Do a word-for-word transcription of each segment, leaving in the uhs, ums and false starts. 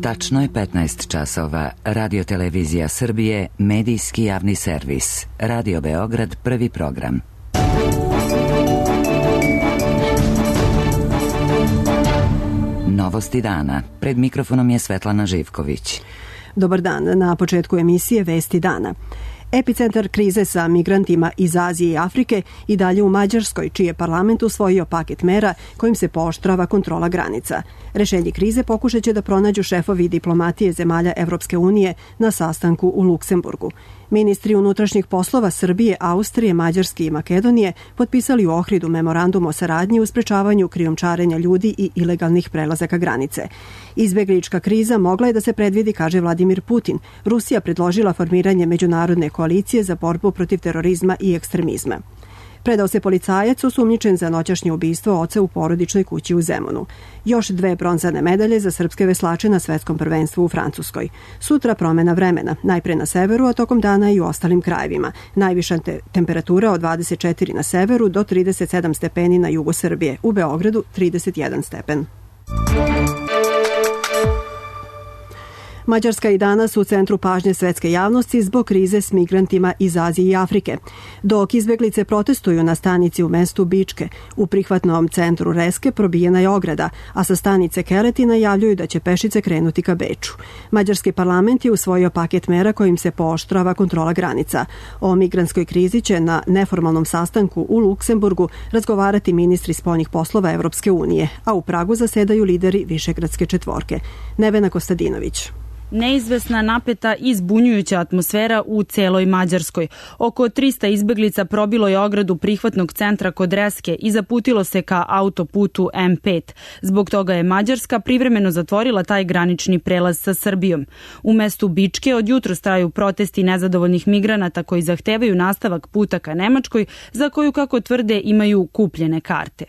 Tačno je petnaest časova. Radio Televizija Srbije, medijski javni servis. Radio Beograd, prvi program. Novosti dana. Pred mikrofonom je Svetlana Živković. Dobar dan. Na početku emisije Vesti dana. Epicentar krize sa migrantima iz Azije i Afrike i dalje u Mađarskoj, čiji je parlament usvojio paket mera kojim se pooštrava kontrola granica. Rešenje krize pokušat će da pronađu šefovi diplomatije zemalja Evropske unije na sastanku u Luksemburgu. Ministri unutrašnjih poslova Srbije, Austrije, Mađarske i Makedonije potpisali u Ohridu memorandum o saradnji u sprečavanju krijumčarenja ljudi i ilegalnih prelazaka granice. Izbeglička kriza mogla je da se predvidi, kaže Vladimir Putin. Rusija predložila formiranje međunarodne koalicije za borbu protiv terorizma i ekstremizma. Predao se policajac osumnjičen za noćašnje ubistvo oca u porodičnoj kući u Zemunu. Još dve bronzane medalje za srpske veslače na svetskom prvenstvu u Francuskoj. Sutra promena vremena, najpre na severu, a tokom dana i u ostalim krajevima. Najviša te temperatura od dvadeset četiri na severu do trideset sedam stepeni na jugu Srbije. U Beogradu trideset jedan stepen. Mađarska i danas u centru pažnje svetske javnosti zbog krize s migrantima iz Azije i Afrike. Dok izbeglice protestuju na stanici u mestu Bičke, u prihvatnom centru Reske probijena je ograda, a sa stanice Keleti najavljuju da će pešice krenuti ka Beču. Mađarski parlament je usvojio paket mera kojim se pooštrava kontrola granica. O migrantskoj krizi će na neformalnom sastanku u Luksemburgu razgovarati ministri spoljnih poslova Evropske unije, a u Pragu zasedaju lideri Višegradske četvorke. Nevena Kostadinović. Neizvesna, napeta i zbunjujuća atmosfera u celoj Mađarskoj. Oko trista izbeglica probilo je ogradu prihvatnog centra kod Reske i zaputilo se ka autoputu em pet. Zbog toga je Mađarska privremeno zatvorila taj granični prelaz sa Srbijom. U mestu Bičke od jutros traju protesti nezadovoljnih migranata koji zahtevaju nastavak puta ka Nemačkoj, za koju, kako tvrde, imaju kupljene karte.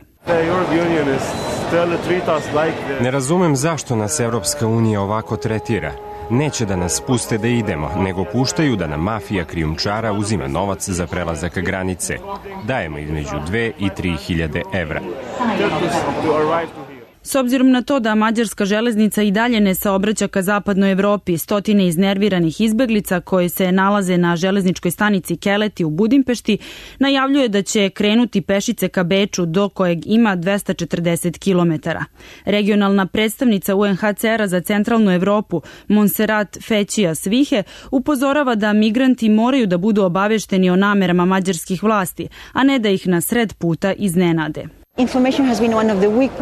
Ne razumem zašto nas Evropska unija ovako tretira. Neće da nas puste da idemo, nego puštaju da nam mafija krijumčara uzima novac za prelazak granice. Dajemo između dve i tri hiljade evra. S obzirom na to da mađarska železnica i dalje ne saobraća ka zapadnoj Evropi, stotine iznerviranih izbeglica koje se nalaze na železničkoj stanici Keleti u Budimpešti najavljuje da će krenuti pešice ka Beču, do kojeg ima dvesta četrdeset kilometara. Regionalna predstavnica u en ha ce era za centralnu Evropu, Monserrat Fećija Svihe, upozorava da migranti moraju da budu obavešteni o namerama mađarskih vlasti, a ne da ih na sred puta iznenade.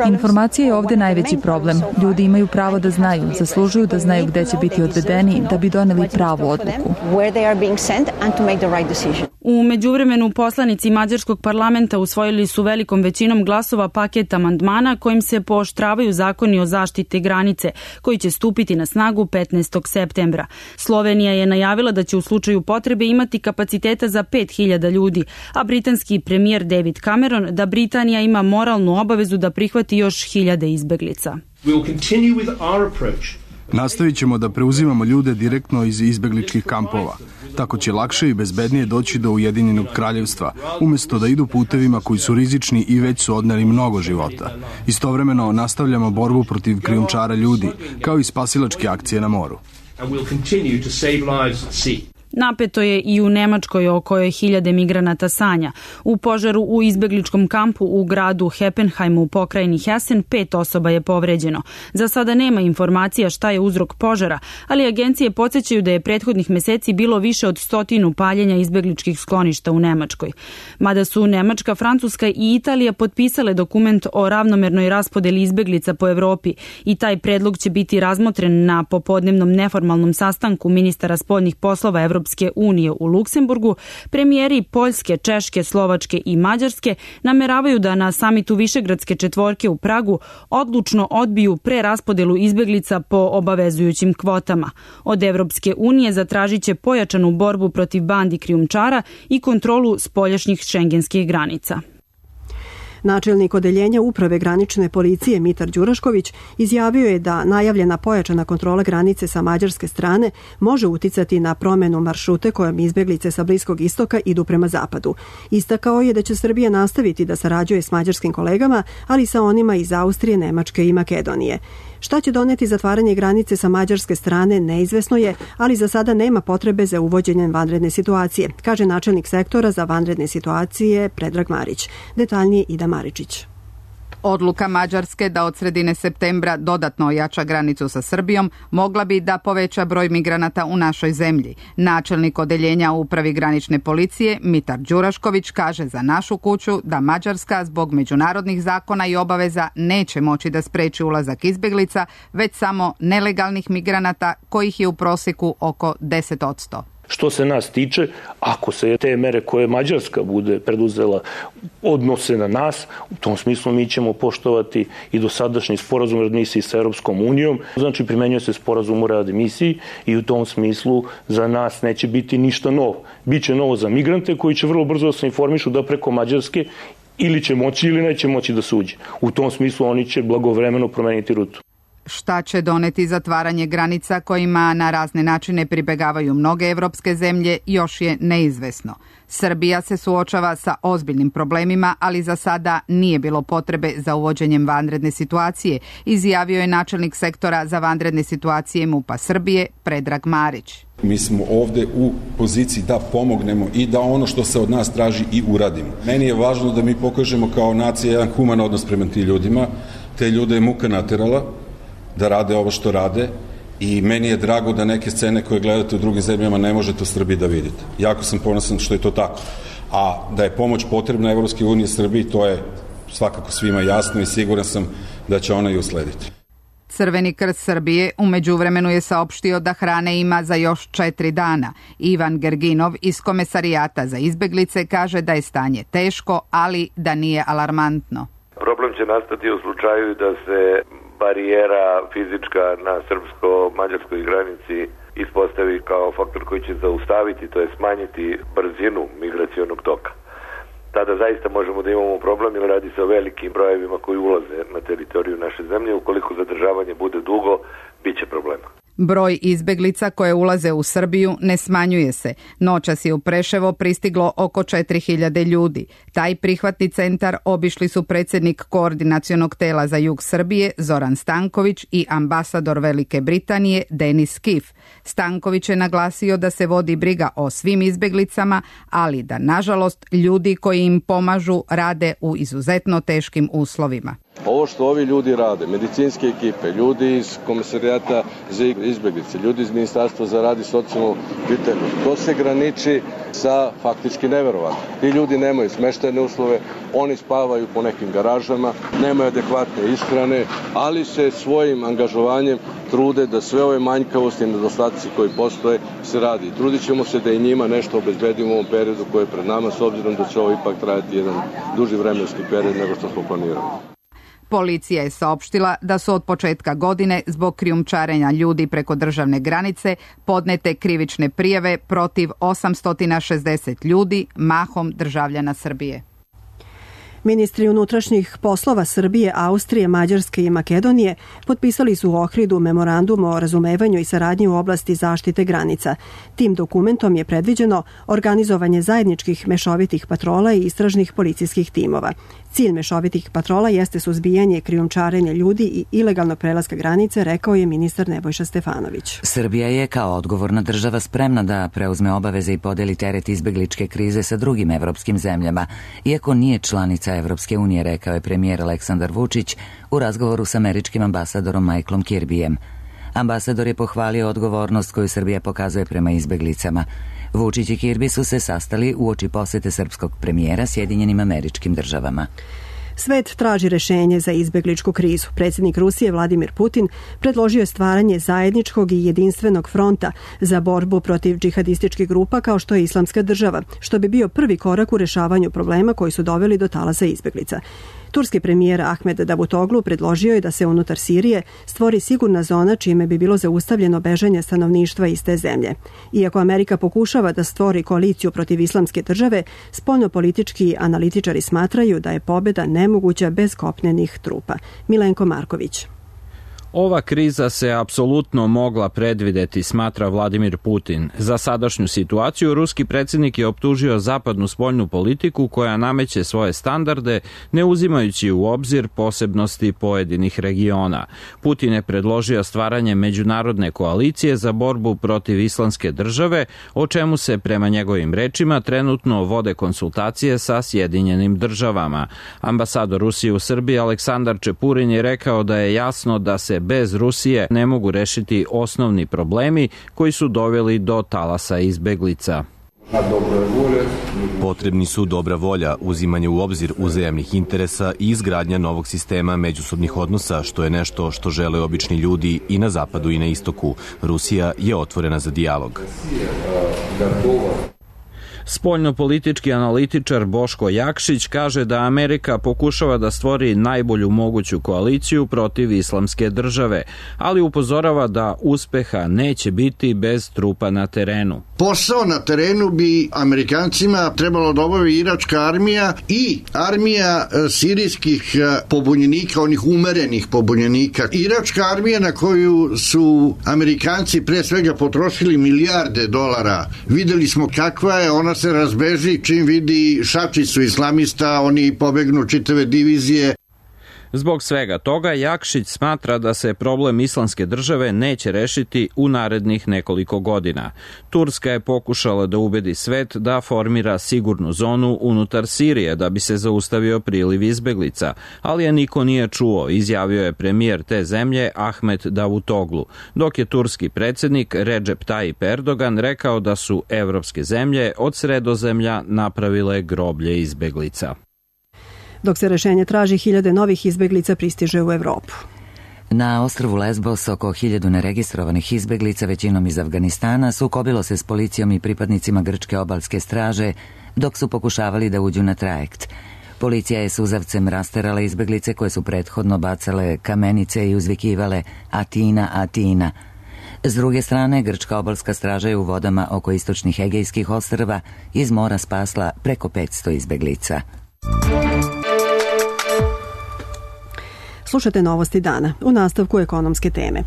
Informacija je ovdje najveći problem. Ljudi imaju pravo da znaju, zaslužuju da znaju gde će biti odvedeni da bi doneli pravu odluku. U međuvremenu poslanici mađarskog parlamenta usvojili su velikom većinom glasova paket amandmana kojim se pooštravaju zakoni o zaštiti granice, koji će stupiti na snagu petnaestog septembra. Slovenija je najavila da će u slučaju potrebe imati kapaciteta za pet hiljada ljudi, a britanski premijer David Cameron da Britanija ima moralnu obavezu da prihvati još hiljade izbeglica. Nastavit ćemo da preuzimamo ljude direktno iz izbegličkih kampova. Tako će lakše i bezbednije doći do Ujedinjenog kraljevstva, umjesto da idu putevima koji su rizični i već su odneli mnogo života. Istovremeno nastavljamo borbu protiv krijumčara ljudi, kao i spasilačke akcije na moru. Napeto je i u Nemačkoj, o kojoj hiljade migranata sanja. U požaru u izbegličkom kampu u gradu Heppenheimu u pokrajini Hessen pet osoba je povređeno. Za sada nema informacija šta je uzrok požara, ali agencije podsjećaju da je prethodnih meseci bilo više od stotinu paljenja izbegličkih skloništa u Nemačkoj. Mada su Nemačka, Francuska i Italija potpisale dokument o ravnomernoj raspodeli izbeglica po Evropi i taj predlog će biti razmotren na popodnevnom neformalnom sastanku ministara spoljnih poslova Evropske unije u Luksemburgu, premijeri Poljske, Češke, Slovačke i Mađarske nameravaju da na samitu Višegradske četvorke u Pragu odlučno odbiju preraspodelu izbeglica po obavezujućim kvotama. Od Evropske unije zatražit će pojačanu borbu protiv bandi krijumčara i kontrolu spoljašnjih šengenskih granica. Načelnik odeljenja uprave granične policije Mitar Đurašković izjavio je da najavljena pojačana kontrola granice sa mađarske strane može uticati na promenu maršrute kojom izbeglice sa Bliskog istoka idu prema zapadu. Istakao je da će Srbija nastaviti da sarađuje s mađarskim kolegama, ali sa onima iz Austrije, Nemačke i Makedonije. Šta će doneti zatvaranje granice sa mađarske strane neizvesno je, ali za sada nema potrebe za uvođenjem vanredne situacije, kaže načelnik sektora za vanredne situacije Predrag Marić. Detaljnije Ida Maričić. Odluka Mađarske da od sredine septembra dodatno ojača granicu sa Srbijom mogla bi da poveća broj migranata u našoj zemlji. Načelnik odeljenja u upravi granične policije Mitar Đurašković kaže za našu kuću da Mađarska zbog međunarodnih zakona i obaveza neće moći da spreči ulazak izbeglica, već samo nelegalnih migranata kojih je u prosjeku oko deset posto. Što se nas tiče, ako se te mere koje Mađarska bude preduzela odnose na nas, u tom smislu mi ćemo poštovati i dosadašnji sporazum o readmisiji sa Europskom unijom. Znači, primenjuje se sporazum o readmisiji i u tom smislu za nas neće biti ništa novo. Biće novo za migrante koji će vrlo brzo da se informišu da preko Mađarske ili će moći ili neće moći da se uđe. U tom smislu oni će blagovremeno promeniti rutu. Šta će doneti zatvaranje granica kojima na razne načine pribegavaju mnoge evropske zemlje još je neizvesno. Srbija se suočava sa ozbiljnim problemima, ali za sada nije bilo potrebe za uvođenjem vanredne situacije, izjavio je načelnik sektora za vanredne situacije MUP-a Srbije Predrag Marić. Mi smo ovde u poziciji da pomognemo i da ono što se od nas traži i uradimo. Meni je važno da mi pokažemo kao nacija jedan human odnos prema tim ljudima. Te ljude je muka naterala da rade ovo što rade i meni je drago da neke scene koje gledate u drugim zemljama ne možete u Srbiji da vidite. Jako sam ponosan što je to tako. A da je pomoć potrebna Evropske unije Srbiji, to je svakako svima jasno i siguran sam da će ona i uslediti. Crveni krst Srbije u međuvremenu je saopštio da hrane ima za još četiri dana. Ivan Gerginov iz Komesarijata za izbeglice kaže da je stanje teško, ali da nije alarmantno. Problem će nastati u slučaju da se barijera fizička na srpsko-mađarskoj granici ispostavi kao faktor koji će zaustaviti, to je smanjiti brzinu migracionog toka. Tada zaista možemo da imamo problem, jer radi se o velikim brojevima koji ulaze na teritoriju naše zemlje. Ukoliko zadržavanje bude dugo, bit će problema. Broj izbeglica koje ulaze u Srbiju ne smanjuje se. Noćas je u Preševo pristiglo oko četiri hiljade ljudi. Taj prihvatni centar obišli su predsjednik Koordinacionog tela za jug Srbije Zoran Stanković i ambasador Velike Britanije Denis Kif. Stanković je naglasio da se vodi briga o svim izbeglicama, ali da nažalost ljudi koji im pomažu rade u izuzetno teškim uslovima. Ovo što ovi ljudi rade, medicinske ekipe, ljudi iz Komesarijata za izbeglice, ljudi iz Ministarstva za rad i socijalnu pitanje, to se graniči sa faktički neverovatno. Ti ljudi nemaju smeštajne uslove, oni spavaju po nekim garažama, nemaju adekvatne ishrane, ali se svojim angažovanjem trude da sve ove manjkavosti i nedostaci koji postoje se radi. Trudit ćemo se da i njima nešto obezbedimo u ovom periodu koji je pred nama, s obzirom da će ovo ipak trajati jedan duži vremenski period nego što smo planirali. Policija je saopštila da su od početka godine zbog krijumčarenja ljudi preko državne granice podnete krivične prijave protiv osamsto šezdeset ljudi, mahom državljana Srbije. Ministri unutrašnjih poslova Srbije, Austrije, Mađarske i Makedonije potpisali su u Ohridu memorandum o razumevanju i saradnji u oblasti zaštite granica. Tim dokumentom je predviđeno organizovanje zajedničkih mešovitih patrola i istražnih policijskih timova. Cilj mešovitih patrola jeste suzbijanje krijumčarenja ljudi i ilegalnog prelaska granice, rekao je ministar Nebojša Stefanović. Srbija je kao odgovorna država spremna da preuzme obaveze i podeli teret izbegličke krize sa drugim evropskim zemljama, iako nije članica Evropske unije, rekao je premijer Aleksandar Vučić u razgovoru s američkim ambasadorom Michaelom Kirbyjem. Ambasador je pohvalio odgovornost koju Srbija pokazuje prema izbeglicama. Vučić i Kirby su se sastali uoči posete srpskog premijera Sjedinjenim Američkim Državama. Svet traži rešenje za izbegličku krizu. Predsjednik Rusije Vladimir Putin predložio je stvaranje zajedničkog i jedinstvenog fronta za borbu protiv džihadističkih grupa kao što je Islamska država, što bi bio prvi korak u rešavanju problema koji su doveli do talasa izbeglica. Turski premijer Ahmed Davutoglu predložio je da se unutar Sirije stvori sigurna zona čime bi bilo zaustavljeno bežanje stanovništva iz te zemlje. Iako Amerika pokušava da stvori koaliciju protiv Islamske države, spoljnopolitički analitičari smatraju da je pobjeda nemoguća bez kopnenih trupa. Milenko Marković. Ova kriza se apsolutno mogla predvideti, smatra Vladimir Putin. Za sadašnju situaciju ruski predsjednik je optužio zapadnu spoljnu politiku koja nameće svoje standarde, ne uzimajući u obzir posebnosti pojedinih regiona. Putin je predložio stvaranje međunarodne koalicije za borbu protiv islamske države, o čemu se prema njegovim rečima trenutno vode konsultacije sa Sjedinjenim državama. Ambasador Rusije u Srbiji Aleksandar Čepurin je rekao da je jasno da se bez Rusije ne mogu rešiti osnovni problemi koji su doveli do talasa izbeglica. Potrebni su dobra volja, uzimanje u obzir uzajamnih interesa i izgradnja novog sistema međusobnih odnosa, što je nešto što žele obični ljudi i na zapadu i na istoku. Rusija je otvorena za dijalog. Spoljnopolitički analitičar Boško Jakšić kaže da Amerika pokušava da stvori najbolju moguću koaliciju protiv islamske države, ali upozorava da uspeha neće biti bez trupa na terenu. Posao na terenu bi Amerikancima trebalo da obavi iračka armija i armija sirijskih pobunjenika, onih umerenih pobunjenika. Iračka armija na koju su Amerikanci pre svega potrošili milijarde dolara. Videli smo kakva je, ona se razbeži čim vidi šačicu islamista, oni pobegnu čitave divizije. Zbog svega toga, Jakšić smatra da se problem islamske države neće rešiti u narednih nekoliko godina. Turska je pokušala da ubedi svet da formira sigurnu zonu unutar Sirije da bi se zaustavio priliv izbeglica, ali je niko nije čuo, izjavio je premijer te zemlje Ahmet Davutoglu, dok je turski predsjednik Recep Tayyip Erdogan rekao da su evropske zemlje od Sredozemlja napravile groblje izbeglica. Dok se rešenje traži, hiljade novih izbeglica pristiže u Evropu. Na ostrvu Lesbos oko hiljadu neregistrovanih izbeglica, većinom iz Afganistana, sukobilo se s policijom i pripadnicima grčke obalske straže dok su pokušavali da uđu na trajekt. Policija je suzavcem rasterala izbeglice koje su prethodno bacale kamenice i uzvikivale Atina, Atina. S druge strane, grčka obalska straža je u vodama oko istočnih Egejskih ostrva iz mora spasla preko petsto izbeglica. Slušate novosti dana. U nastavku ekonomske teme.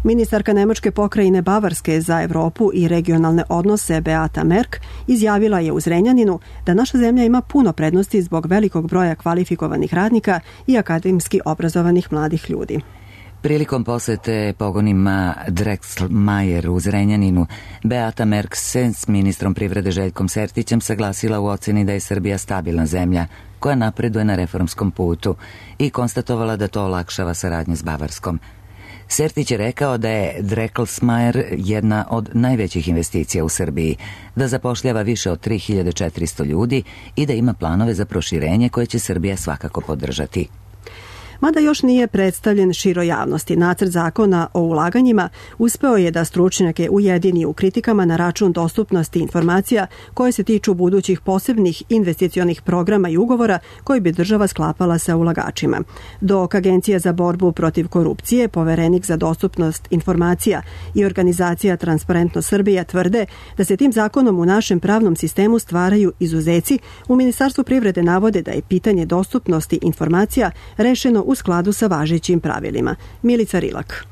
Ministarka Nemačke pokrajine Bavarske za Evropu i regionalne odnose Beata Merk izjavila je u Zrenjaninu da naša zemlja ima puno prednosti zbog velikog broja kvalifikovanih radnika i akademski obrazovanih mladih ljudi. Prilikom posete pogonima Drexlmeier u Zrenjaninu, Beata Merk se s ministrom privrede Željkom Sertićem saglasila u oceni da je Srbija stabilna zemlja koja napreduje na reformskom putu i konstatovala da to olakšava saradnju s Bavarskom. Sertić je rekao da je Drexlmeier jedna od najvećih investicija u Srbiji, da zapošljava više od tri hiljade četiristo ljudi i da ima planove za proširenje koje će Srbija svakako podržati. Mada još nije predstavljen široj javnosti, nacrt zakona o ulaganjima uspeo je da stručnjake ujedini u kritikama na račun dostupnosti informacija koje se tiču budućih posebnih investicionih programa i ugovora koji bi država sklapala sa ulagačima. Dok Agencija za borbu protiv korupcije, Poverenik za dostupnost informacija i organizacija Transparentno Srbija tvrde da se tim zakonom u našem pravnom sistemu stvaraju izuzeci, u Ministarstvu privrede navode da je pitanje dostupnosti informacija rešeno u skladu sa važećim pravilima. Milica Rilak.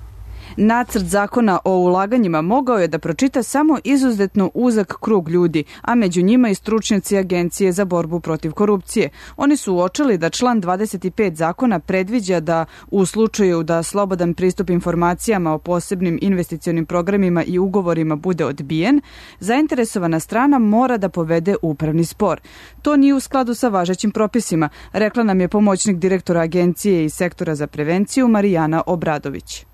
Nacrt zakona o ulaganjima mogao je da pročita samo izuzetno uzak krug ljudi, a među njima i stručnjaci Agencije za borbu protiv korupcije. Oni su uočili da član dvadeset pet zakona predviđa da u slučaju da slobodan pristup informacijama o posebnim investicionim programima i ugovorima bude odbijen, zainteresovana strana mora da povede upravni spor. To nije u skladu sa važećim propisima, rekla nam je pomoćnik direktora Agencije i sektora za prevenciju Marijana Obradović.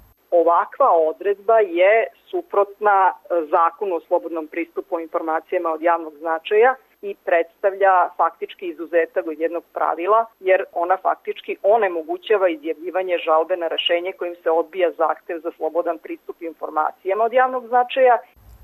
Ovakva odredba je suprotna zakonu o slobodnom pristupu informacijama od javnog značaja i predstavlja faktički izuzetak od jednog pravila, jer ona faktički onemogućava izjavljivanje žalbe na rešenje kojim se odbija zahtev za slobodan pristup informacijama od javnog značaja.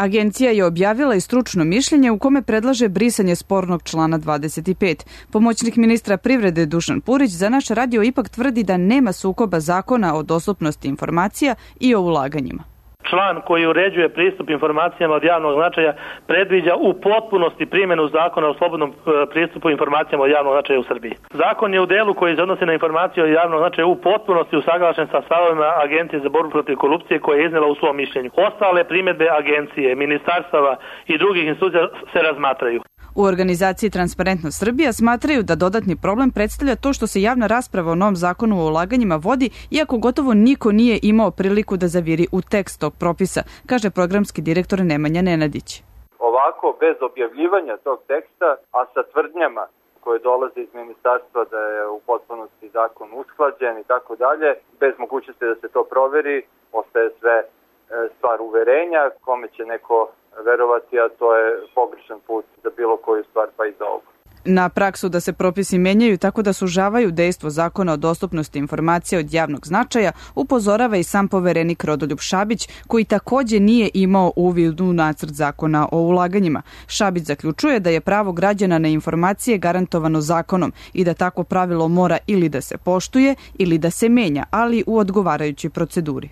Agencija je objavila i stručno mišljenje u kome predlaže brisanje spornog člana dvadeset pet. Pomoćnik ministra privrede Dušan Purić za naš radio ipak tvrdi da nema sukoba zakona o dostupnosti informacija i o ulaganjima. član koji uređuje pristup informacijama od javnog značaja predviđa u potpunosti primjenu zakona o slobodnom pristupu informacijama od javnog značaja u Srbiji. Zakon je u delu koji se odnosi na informacije od javnog značaja u potpunosti usaglašen sa stavovima Agencije za borbu protiv korupcije koje je iznela u svom mišljenju. Ostale primjedbe agencije, ministarstava i drugih institucija se razmatraju. U organizaciji Transparentnost Srbija smatraju da dodatni problem predstavlja to što se javna rasprava o novom zakonu o ulaganjima vodi, iako gotovo niko nije imao priliku da zaviri u tekst tog propisa, kaže programski direktor Nemanja Nenadić. Ovako, bez objavljivanja tog teksta, a sa tvrdnjama koje dolaze iz ministarstva da je u potpunosti zakon usklađen i tako dalje, bez mogućnosti da se to proveri, ostaje sve stvar uverenja, kome će neko verovati, a to je pogrešan put za bilo koju stvar, pa i za ovo. Na praksu da se propisi menjaju tako da sužavaju dejstvo zakona o dostupnosti informacija od javnog značaja upozorava i sam poverenik Rodoljub Šabić, koji takođe nije imao uvid u nacrt zakona o ulaganjima. Šabić zaključuje da je pravo građana na informacije garantovano zakonom i da takvo pravilo mora ili da se poštuje ili da se menja, ali u odgovarajućoj proceduri.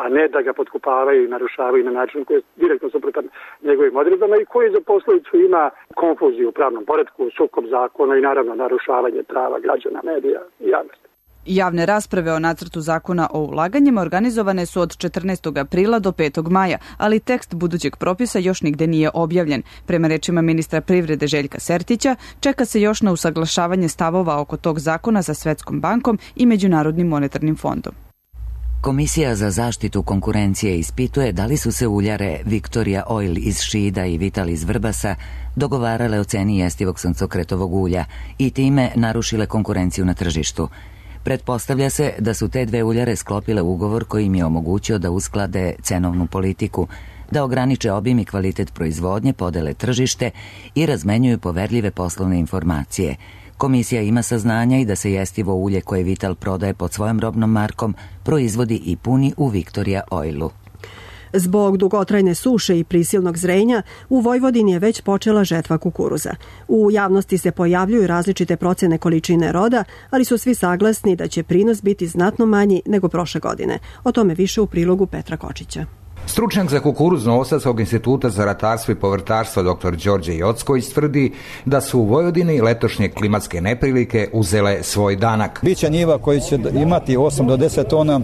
A ne da ga potkupavaju i narušavaju na način koji je direktno suprotan njegovim odredbama i koji za posljedicu ima konfuziju u pravnom poretku, sukob zakona i naravno narušavanje prava građana, medija i javnosti. Javne rasprave o nacrtu zakona o ulaganjima organizovane su od četrnaestog aprila do petog maja, ali tekst budućeg propisa još nigde nije objavljen. Prema rečima ministra privrede Željka Sertića, čeka se još na usaglašavanje stavova oko tog zakona sa Svetskom bankom i Međunarodnim monetarnim fondom. Komisija za zaštitu konkurencije ispituje da li su se uljare Victoria Oil iz Šida i Vital iz Vrbasa dogovarale o ceni jestivog suncokretovog ulja i time narušile konkurenciju na tržištu. Pretpostavlja se da su te dve uljare sklopile ugovor koji im je omogućio da usklade cenovnu politiku, da ograniče obim i kvalitet proizvodnje, podele tržište i razmenjuju poverljive poslovne informacije. Komisija ima saznanja i da se jestivo ulje koje Vital prodaje pod svojom robnom markom proizvodi i puni u Victoria Oilu. Zbog dugotrajne suše i prisilnog zrenja, u Vojvodini je već počela žetva kukuruza. U javnosti se pojavljuju različite procene količine roda, ali su svi saglasni da će prinos biti znatno manji nego prošle godine. O tome više u prilogu Petra Kočića. Stručnjak za kukuruz Novosadskog instituta za ratarstvo i povrtarstvo dr Đorđe Jocković tvrdi da su u Vojvodini letošnje klimatske neprilike uzele svoj danak. Biće njiva koji će imati osam do deset tona,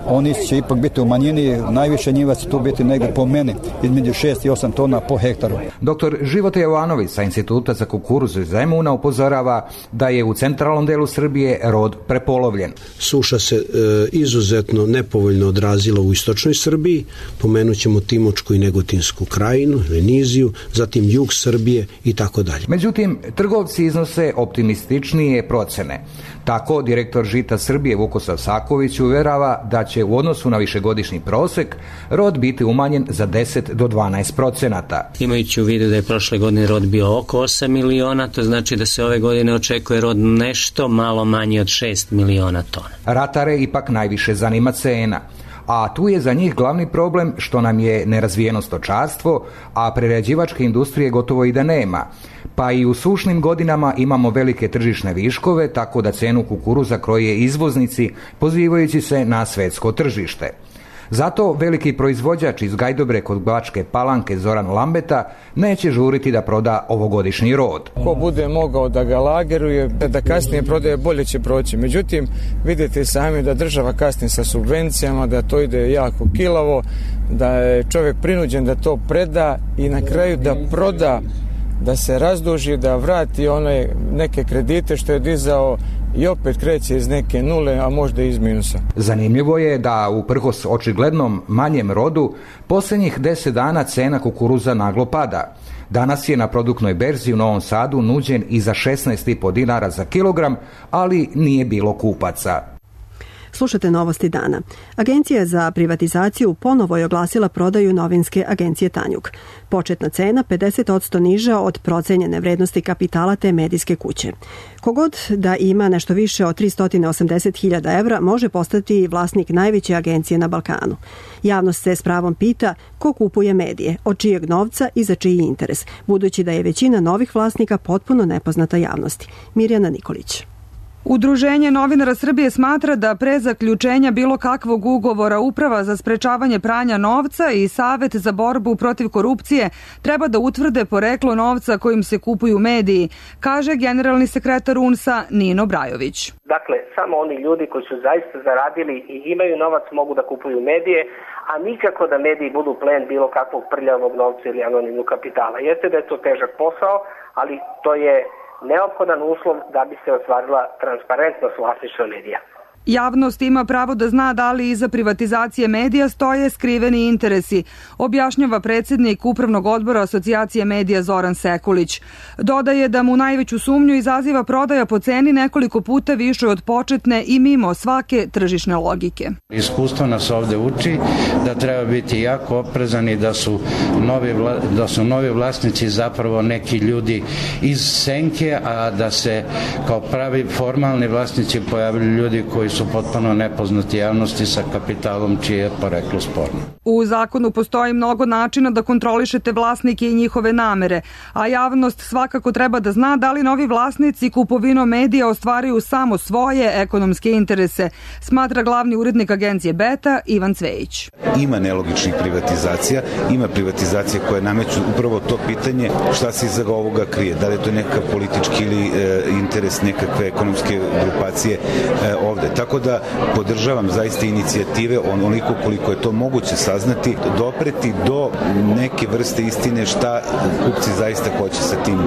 oni će ipak biti u manjini, najviše njiva će tu biti negde po meni, između šest i osam tona po hektaru. Doktor Života Jovanović sa Instituta za kukuruz iz Zemuna upozorava da je u centralnom delu Srbije rod prepolovljen. Suša se e, izuzetno nepovoljno odrazila u istočnoj Srbiji, pomenut ćemo Timočku i Negotinsku krajinu, Veniziju, zatim jug Srbije i tako dalje. Međutim, trgovci iznose optimističnije procene. Tako, direktor Žita Srbije Vukosav Saković uverava da će u odnosu na višegodišnji prosek rod biti umanjen za deset do dvanaest procenata. Imajući u vidu da je prošle godine rod bio oko osam miliona, to znači da se ove godine očekuje rod nešto malo manji od šest miliona tona. Ratare ipak najviše zanima cena. A tu je za njih glavni problem što nam je nerazvijeno stočarstvo, a prerađivačke industrije gotovo i da nema. Pa i u sušnim godinama imamo velike tržišne viškove, tako da cenu kukuruza kroje izvoznici, pozivajući se na svetsko tržište. Zato veliki proizvođač iz Gajdobre kod Bačke Palanke Zoran Lambeta neće žuriti da proda ovogodišnji rod. Ko bude mogao da ga lageruje, da kasnije prodaje, bolje će proći. Međutim, vidite sami da država kasni sa subvencijama, da to ide jako kilavo, da je čovjek prinuđen da to preda i na kraju da proda, da se razduži, da vrati one neke kredite što je dizao i opet kreće iz neke nule, a možda iz minusa. Zanimljivo je da uprkos očiglednom manjem rodu, posljednjih deset dana cena kukuruza naglo pada. Danas je na produktnoj berzi u Novom Sadu nuđen i za šesnaest i po dinara za kilogram, ali nije bilo kupaca. Slušate novosti dana. Agencija za privatizaciju ponovo je oglasila prodaju novinske agencije Tanjug. Početna cena pedeset posto niža od procenjene vrednosti kapitala te medijske kuće. Kogod da ima nešto više od tristo osamdeset hiljada evra može postati vlasnik najveće agencije na Balkanu. Javnost se s pravom pita ko kupuje medije, od čijeg novca i za čiji interes, budući da je većina novih vlasnika potpuno nepoznata javnosti. Mirjana Nikolić. Udruženje novinara Srbije smatra da pre zaključenja bilo kakvog ugovora Uprava za sprečavanje pranja novca i Savet za borbu protiv korupcije treba da utvrde poreklo novca kojim se kupuju mediji, kaže generalni sekretar U N S A Nino Brajović. Dakle, samo oni ljudi koji su zaista zaradili i imaju novac mogu da kupuju medije, a nikako da mediji budu plen bilo kakvog prljavog novca ili anonimnog kapitala. Jeste da je to težak posao, ali to je neophodan uslov da bi se ostvarila transparentnost vlasništva medija. Javnost ima pravo da zna da li iza privatizacije medija stoje skriveni interesi, objašnjava predsjednik Upravnog odbora Asocijacije medija Zoran Sekulić. Dodaje da mu najveću sumnju izaziva prodaja po ceni nekoliko puta više od početne i mimo svake tržišne logike. Iskustvo nas ovde uči da treba biti jako oprezan i da su novi, da su novi vlasnici zapravo neki ljudi iz senke, a da se kao pravi formalni vlasnici pojavili ljudi koji su potpuno nepoznati javnosti sa kapitalom čije je poreklo sporno. U zakonu postoji mnogo načina da kontrolišete vlasnike i njihove namere, a javnost svakako treba da zna da li novi vlasnici kupovinom medija ostvaruju samo svoje ekonomske interese, smatra glavni urednik agencije Beta Ivan Cvejić. Ima nelogičnih privatizacija, ima privatizacije koje nameću upravo to pitanje šta se iza ovoga krije, da li je to nekakav politički ili e, interes nekakve ekonomske grupacije e, ovde. Tako da podržavam zaista inicijative onoliko koliko je to moguće saznati, dopreti do neke vrste istine šta kupci zaista hoće sa tim,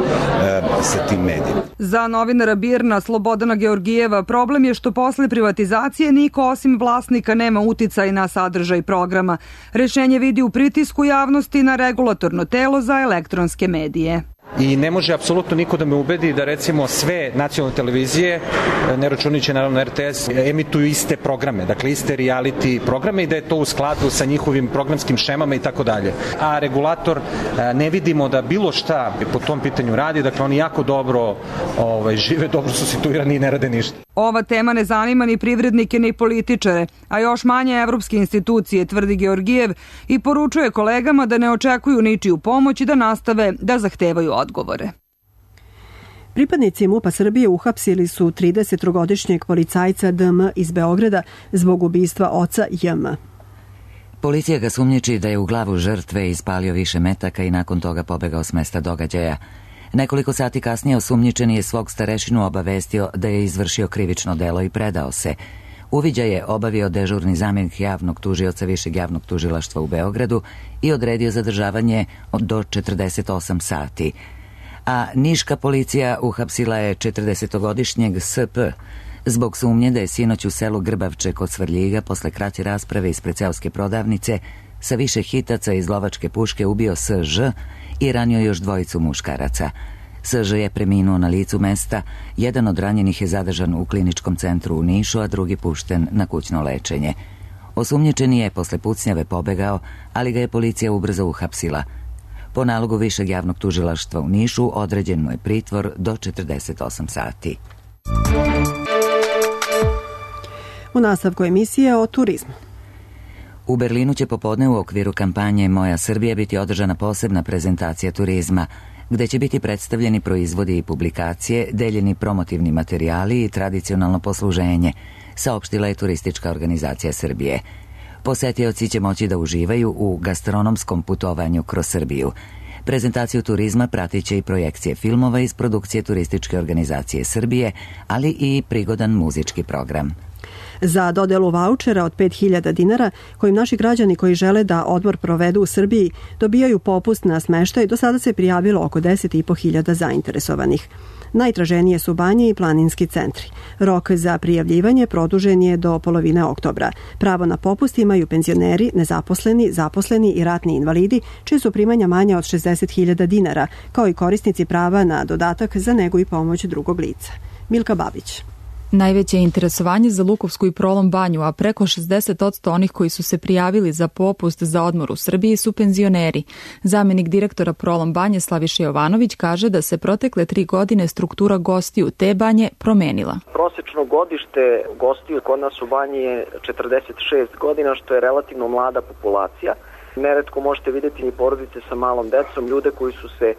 sa tim medijima. Za novinara Birna Slobodana Georgijeva problem je što posle privatizacije niko osim vlasnika nema uticaj na sadržaj programa. Rešenje vidi u pritisku javnosti na regulatorno telo za elektronske medije. I ne može apsolutno niko da me ubedi da recimo sve nacionalne televizije, ne računajući naravno R T S, emituju iste programe, dakle iste reality programe i da je to u skladu sa njihovim programskim šemama i tako dalje. A regulator ne vidimo da bilo šta po tom pitanju radi, dakle oni jako dobro ovaj, žive, dobro su situirani i ne rade ništa. Ova tema ne zanima ni privrednike ni političare, a još manje evropske institucije, tvrdi Georgijev i poručuje kolegama da ne očekuju ničiju pomoć i da nastave da zahtevaju odgovore. Pripadnici MUP-a Srbije uhapsili su tridesettrogodišnjeg policajca D M iz Beograda zbog ubistva oca J M. Policija ga sumnjiči da je u glavu žrtve ispalio više metaka i nakon toga pobegao s mesta događaja. Nekoliko sati kasnije osumnjičeni je svog starešinu obavestio da je izvršio krivično delo i predao se. Uviđaj je obavio dežurni zamjenik javnog tužioca Višeg javnog tužilaštva u Beogradu i odredio zadržavanje do četrdeset osam sati. A niška policija uhapsila je četrdesetogodišnjeg S P zbog sumnje da je sinoć u selu Grbavče kod Svrljiga posle kraće rasprave ispred seoske prodavnice sa više hitaca iz lovačke puške ubio S Ž i ranio još dvojicu muškaraca. S Ž je preminuo na licu mesta, jedan od ranjenih je zadržan u kliničkom centru u Nišu, a drugi pušten na kućno lečenje. Osumnjičeni je posle pucnjave pobegao, ali ga je policija ubrzo uhapsila. Po nalogu Višeg javnog tužilaštva u Nišu određen mu je pritvor do četrdeset osam sati. U nastavku emisije o turizmu. U Berlinu će popodne u okviru kampanje Moja Srbija biti održana posebna prezentacija turizma, gde će biti predstavljeni proizvodi i publikacije, deljeni promotivni materijali i tradicionalno posluženje, saopštila je Turistička organizacija Srbije. Posetioci će moći da uživaju u gastronomskom putovanju kroz Srbiju. Prezentaciju turizma pratit će i projekcije filmova iz produkcije Turističke organizacije Srbije, ali i prigodan muzički program. Za dodelu vaučera od pet hiljada dinara, kojim naši građani koji žele da odmor provedu u Srbiji dobijaju popust na smeštaj, do sada se prijavilo oko deset i po hiljada zainteresovanih. Najtraženije su banje i planinski centri. Rok za prijavljivanje produžen je do polovine oktobra. Pravo na popust imaju penzioneri, nezaposleni, zaposleni i ratni invalidi, čije su primanja manja od šezdeset hiljada dinara, kao i korisnici prava na dodatak za negu i pomoć drugog lica. Milka Babić. Najveće je interesovanje za Lukovsku i Prolom banju, a preko šezdeset posto onih koji su se prijavili za popust za odmor u Srbiji su penzioneri. Zamenik direktora Prolom banje Slaviša Jovanović kaže da se protekle tri godine struktura gostiju te banje promenila. Prosečno godište gostiju kod nas u banji je četrdeset šest godina, što je relativno mlada populacija. Neretko možete vidjeti i porodice sa malom decom, ljude koji su se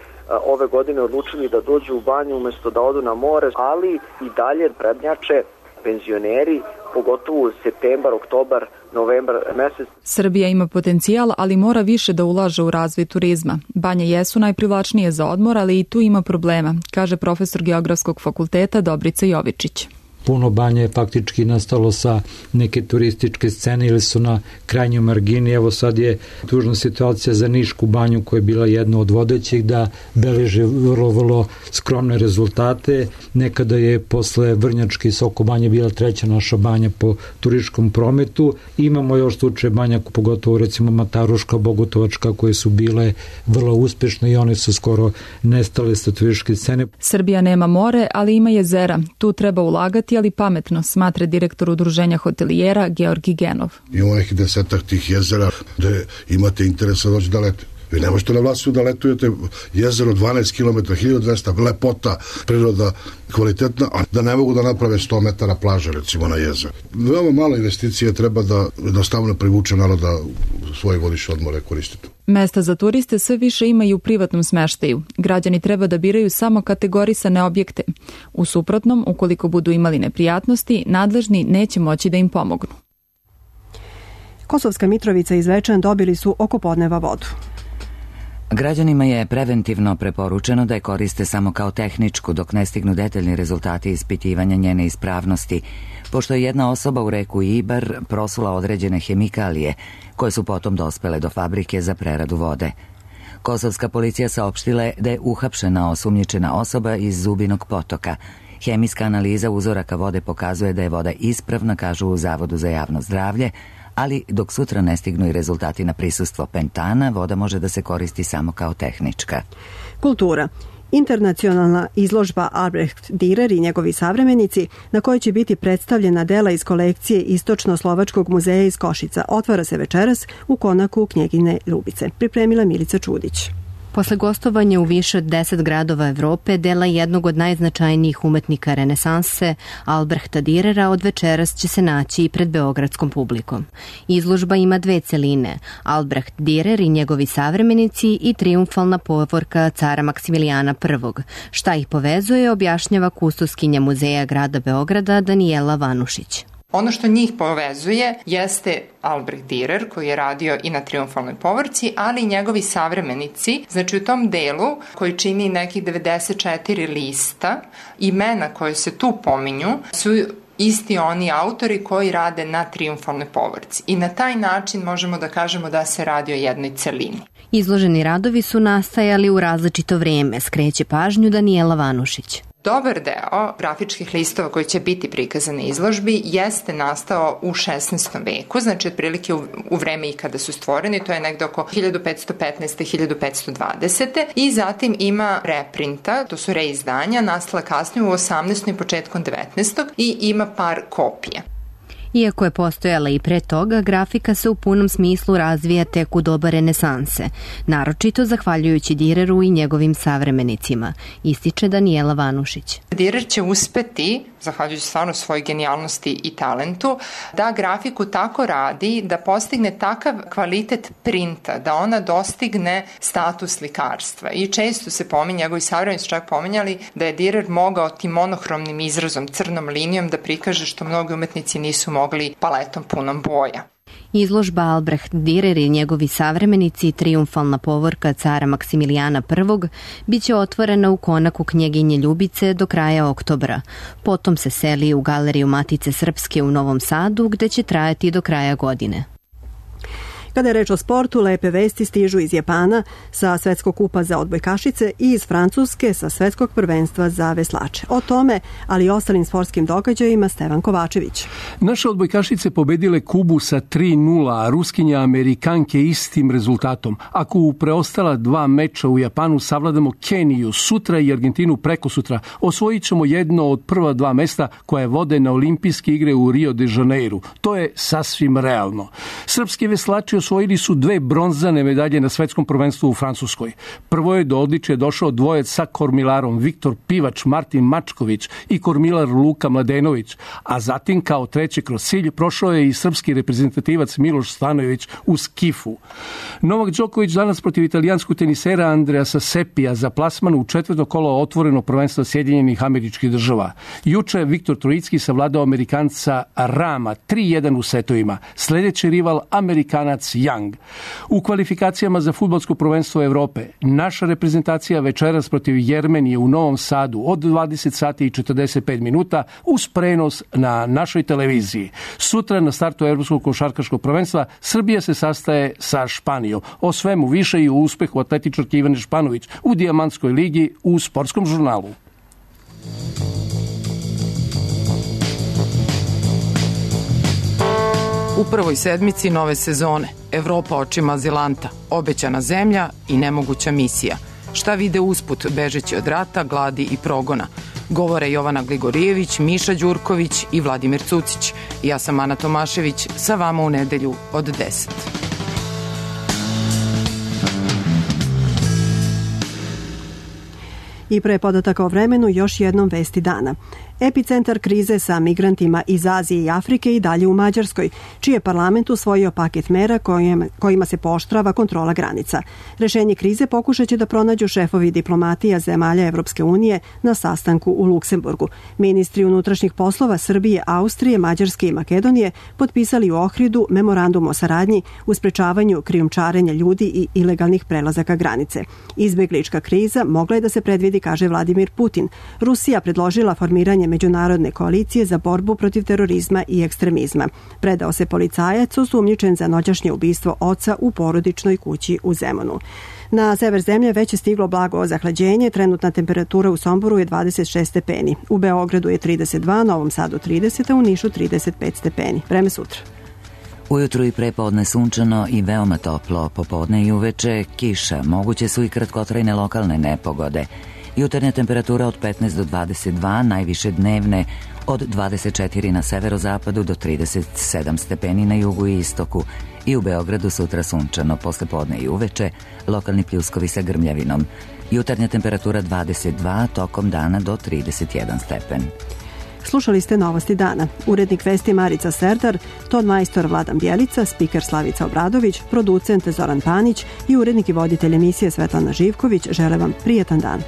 ove godine odlučili da dođu u banju umesto da odu na more, ali i dalje prednjače penzioneri, pogotovo septembar, oktobar, novembar mesec. Srbija ima potencijal, ali mora više da ulaže u razvoj turizma. Banje jesu najprivlačnije za odmor, ali i tu ima problema, kaže profesor Geografskog fakulteta Dobrica Jovičić. Puno banja je faktički nastalo sa neke turističke scene ili su na krajnjoj margini. Evo sad je tužna situacija za Nišku banju koja je bila jedna od vodećih da beleže vrlo, vrlo skromne rezultate. Nekada je posle Vrnjačke i Soko banje bila treća naša banja po turističkom prometu. Imamo još slučaje banja, pogotovo recimo Mataruška, Bogotovačka, koje su bile vrlo uspešne i one su skoro nestale sa turističke scene. Srbija nema more, ali ima jezera. Tu treba ulagati, ali pametno, smatra direktor udruženja hotelijera Georgi Genov. Imamo nekih desetak tih jezera gde imate interesa doći da lete. Vi ne možete na Vlasiju da letujete jezero dvanaest kilometara, hiljadu dvesta, lepota, priroda kvalitetna, a da ne mogu da naprave sto metara plaže recimo na jezeru. Veoma malo investicije treba da jednostavno privuče naroda svoje godišnje odmore koristiti. Mesta za turiste sve više ima i u privatnom smeštaju. Građani treba da biraju samo kategorisane objekte. U suprotnom, ukoliko budu imali neprijatnosti, nadležni neće moći da im pomognu. Kosovska Mitrovica i Zvečan dobili su oko podneva vodu. Građanima je preventivno preporučeno da je koriste samo kao tehničku dok ne stignu detaljni rezultati ispitivanja njene ispravnosti, pošto je jedna osoba u reku Ibar prosula određene hemikalije koje su potom dospele do fabrike za preradu vode. Kosovska policija saopštila je da je uhapšena osumnjičena osoba iz Zubinog potoka. Hemijska analiza uzoraka vode pokazuje da je voda ispravna, kažu u Zavodu za javno zdravlje, ali dok sutra ne stignu i rezultati na prisustvo pentana, voda može da se koristi samo kao tehnička. Kultura. Internacionalna izložba Albrecht Dürer i njegovi savremenici, na kojoj će biti predstavljena dela iz kolekcije Istočno-slovačkog muzeja iz Košica, otvara se večeras u konaku Knjegine Ljubice. Pripremila Milica Čudić. Posle gostovanja u više od deset gradova Evrope, dela jednog od najznačajnijih umetnika renesanse, Albrehta Dürera, od večeras će se naći i pred beogradskom publikom. Izložba ima dve celine, Albrecht Dürer i njegovi savremenici i triumfalna povorka cara Maksimilijana prvog. Šta ih povezuje, objašnjava kustoskinja muzeja grada Beograda Danijela Vanušić. Ono što njih povezuje jeste Albrecht Dürer, koji je radio i na triumfalnoj povorci, ali i njegovi savremenici. Znači u tom delu, koji čini nekih devedeset četiri lista, imena koje se tu pominju su isti oni autori koji rade na triumfalnoj povorci. I na taj način možemo da kažemo da se radi o jednoj celini. Izloženi radovi su nastajali u različito vreme, skreće pažnju Danijela Vanušić. Dobar deo grafičkih listova koji će biti prikazani na izložbi jeste nastao u šesnaestom veku, znači otprilike u, u vreme i kada su stvoreni, to je negde oko hiljadu petsto petnaeste do hiljadu petsto dvadesete i zatim ima reprinta, to su reizdanja, nastala kasnije u osamnaestom i početkom devetnaestog i ima par kopija. Iako je postojala i pre toga, grafika se u punom smislu razvija tek u doba renesanse, naročito zahvaljujući Düreru i njegovim savremenicima, ističe Danijela Vanušić. Dürer će uspeti, zahvaljujući stvarno svojoj genijalnosti i talentu, da grafiku tako radi da postigne takav kvalitet printa, da ona dostigne status slikarstva. I često se pominje, njegovi savremenici čak pominjali da je Dürer mogao tim monohromnim izrazom, crnom linijom da prikaže što mnogi umetnici nisu mogli paletom punom boja. Izložba Albrecht Dürer i njegovi savremenici, triumfalna povorka cara Maksimilijana prvog, biće otvorena u konaku Knjeginje Ljubice do kraja oktobra. Potom se seli u Galeriju Matice Srpske u Novom Sadu, gde će trajati do kraja godine. Kada je reč o sportu, lepe vesti stižu iz Japana sa svetskog kupa za odbojkašice i iz Francuske sa svetskog prvenstva za veslače. O tome, ali i ostalim sportskim događajima, Stevan Kovačević. Naše odbojkašice pobedile Kubu sa tri nula, a Ruskinja Amerikanke istim rezultatom. Ako u preostala dva meča u Japanu savladamo Keniju sutra i Argentinu preko sutra, osvojit ćemo jedno od prva dva mesta koje vode na olimpijske igre u Rio de Janeiru. To je sasvim realno. Srpski veslači osvojili su dve bronzane medalje na svetskom prvenstvu u Francuskoj. Prvo je do odličja došao dvojec sa kormilarom Viktor Pivač, Martin Mačković i kormilar Luka Mladenović, a zatim kao treći kroz cilj prošao je i srpski reprezentativac Miloš Stanojević u skifu. Novak Đoković danas protiv italijanskog tenisera Andreasa Sepija za plasman u četvrto kolo otvoreno prvenstva Sjedinjenih Američkih Država. Juče Viktor Trojicki savladao Amerikanca Rama tri jedan u setovima. Sljedeći rival Amerikanac Young. U kvalifikacijama za fudbalsko prvenstvo Evrope naša reprezentacija večeras protiv Jermenije u Novom Sadu od dvadeset sati i četrdeset pet minuta uz prenos na našoj televiziji. Sutra na startu Evropskog košarkaškog prvenstva Srbija se sastaje sa Španijom. O svemu više i u uspehu atletičarke Ivane Španović u Dijamantskoj ligi u Sportskom žurnalu. U prvoj sedmici nove sezone Evropa očima azilanta, obećana zemlja i nemoguća misija. Šta vide usput bežeći od rata, gladi i progona? Govore Jovana Gligorijević, Miša Đurković i Vladimir Cucić. Ja sam Ana Tomašević, sa vama u nedelju od deset. I pre podataka o vremenu još jednom vesti dana. Epicentar krize sa migrantima iz Azije i Afrike i dalje u Mađarskoj, čiji je parlament usvojio paket mera kojima se pooštrava kontrola granica. Rešenje krize pokušat će da pronađu šefovi diplomatija zemalja Evropske unije na sastanku u Luksemburgu. Ministri unutrašnjih poslova Srbije, Austrije, Mađarske i Makedonije potpisali u Ohridu memorandum o saradnji u sprečavanju krijumčarenja ljudi i ilegalnih prelazaka granice. Izbeglička kriza mogla je da se predvidi, kaže Vladimir Putin. Rusija predložila formiranje međunarodne koalicije za borbu protiv terorizma i ekstremizma. Predao se policajac osumnjičen za noćašnje ubistvo oca u porodičnoj kući u Zemunu. Na sever zemlje već je stiglo blago zahlađenje, trenutna temperatura u Somboru je dvadeset šest stepeni, u Beogradu je trideset dva, Novom Sadu trideset, a u Nišu trideset pet stepeni. Vreme sutra. Ujutru i prepodne sunčano i veoma toplo, popodne i uveče kiša, moguće su i kratkotrajne lokalne nepogode. Jutarnja temperatura od petnaest do dvadeset dva, najviše dnevne od dvadeset četiri na severozapadu do trideset sedam stepeni na jugu i istoku. I u Beogradu sutra sunčano, posle podne i uveče, lokalni pljuskovi sa grmljavinom. Jutarnja temperatura dvadeset dva, tokom dana do trideset jedan stepen. Slušali ste Novosti dana. Urednik vesti Marica Serdar, ton majstor Vladan Bjelica, spiker Slavica Obradović, producent Zoran Panić i urednik i voditelj emisije Svetlana Živković žele vam prijetan dan.